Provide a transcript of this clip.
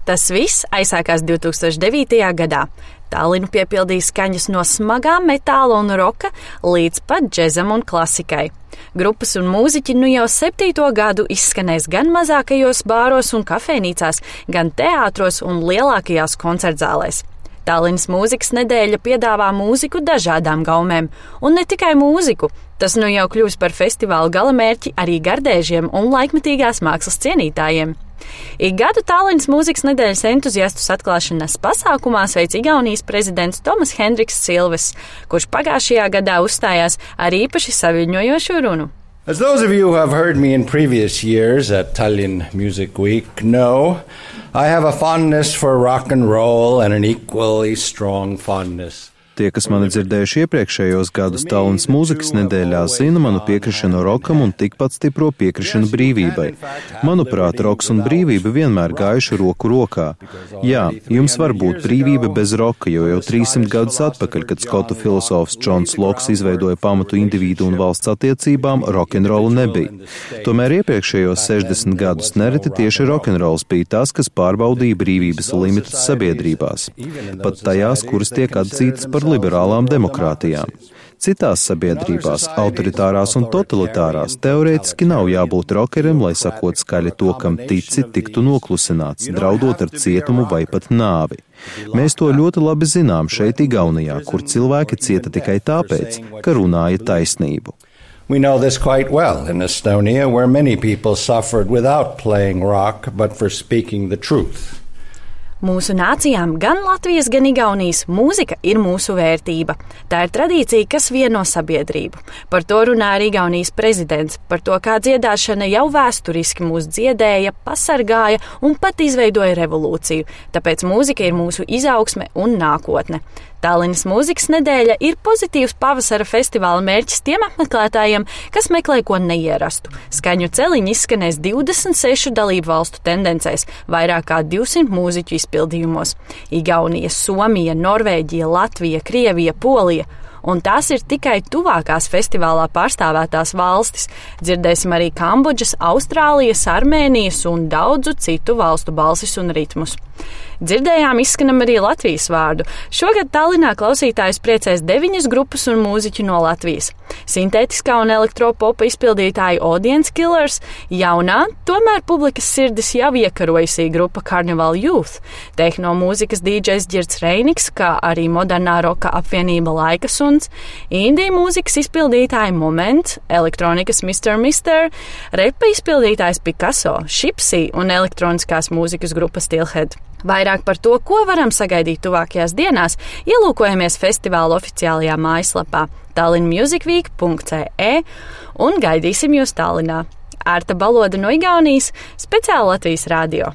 Tas viss aizsākās 2009. gadā. Tallinu piepildīja skaņas no smagā metāla un roka līdz pat džezam un klasikai. Grupas un mūziķi nu jau 7. gadu izskanēs gan mazākajos bāros un kafejnīcās, gan teātros un lielākajās koncertzālēs. Tallinas mūzikas nedēļa piedāvā mūziku dažādām gaumēm, un ne tikai mūziku. Tas nu jau kļūs par festivāla galamērķi arī gardēžiem un laikmetīgās mākslas cienītājiem. Ik gadu Tallinas mūzikas nedēļas entuziastus atklāšanas pasākumā sveic Igaunijas prezidents Tomas Hendriks Silves, kurš pagājušajā gadā uzstājās ar īpaši saviļņojošu runu. As those of you who have heard me in previous years at Tallinn Music Week know, I have a fondness for rock and roll and an equally strong fondness. Tie, kas mani dzirdējuši iepriekšējos gadus Tallinas mūzikas nedēļā, zina manu piekrišanu rokam un tikpat stipro piekrišanu brīvībai. Manuprāt, roks un brīvība vienmēr gājuši roku rokā. Jā, jums var būt brīvība bez roka, jo jau 300 gadus atpakaļ, kad skotu filosofs Džons Loks izveidoja pamatu individu un valsts attiecībām, rokenrola nebija. Tomēr iepriekšējos 60 gadus nereti tieši rokenrols bija tas, kas pārbaudīja brīvības limitus sabiedrībās. Pat tajās, kuras tiek atzītas par liberālām demokrātijām. Citās sabiedrībās, autoritārās un totalitārās, teorētiski nav jābūt rokerim, lai sakot skaļi to, kam tici, tiktu noklusināts, draudot ar cietumu vai pat nāvi. Mēs to ļoti labi zinām šeit Igaunijā, kur cilvēki cieta tikai tāpēc, ka runāja taisnību. We know this quite well in Estonia, where many people suffered without playing rock, but for speaking the truth. Mūsu nācijām, gan Latvijas, gan Igaunijas, mūzika ir mūsu vērtība. Tā ir tradīcija, kas vieno sabiedrību. Par to runā arī Igaunijas prezidents, par to, kā dziedāšana jau vēsturiski mūs dziedēja, pasargāja un pat izveidoja revolūciju. Tāpēc mūzika ir mūsu izaugsme un nākotne. Tallinas mūzikas nedēļa ir pozitīvs pavasara festivāla mērķis tiem apmeklētājiem, kas meklē ko neierastu. Skaņu celiņi izskanēs 26 dalību valstu tendencēs, vairāk kā 200 mūziķu izpildījumos. Igaunija, Somija, Norvēģija, Latvija, Krievija, Polija. Un tās ir tikai tuvākās festivālā pārstāvētās valstis. Dzirdēsim arī Kambodžas, Austrālijas, Armēnijas un daudzu citu valstu balsis un ritmus. Dzirdējām izskanam arī Latvijas vārdu. Šogad Tallinā klausītājus priecēs 9 grupas un mūziķi no Latvijas. Sintētiskā un elektropopa izpildītāji Audience Killers, jaunā, tomēr publikas sirdis jau iekarojusī grupa Carnival Youth, tehno mūzikas DJs Girts Reiniks, kā arī modernā roka apvienība Laika Suns, indija mūzikas izpildītāji Moment, elektronikas Mr. Repa izpildītājs Picasso, Shipsy un elektroniskās mūzikas grupa Steelhead. Vairāk par to, ko varam sagaidīt tuvākajās dienās, ielūkojamies festivāla oficiālajā mājaslapā tallinnmusicweek.ce un gaidīsim jūs Tallinā. Ārta Baloda no Igaunijas, speciāli Latvijas radio.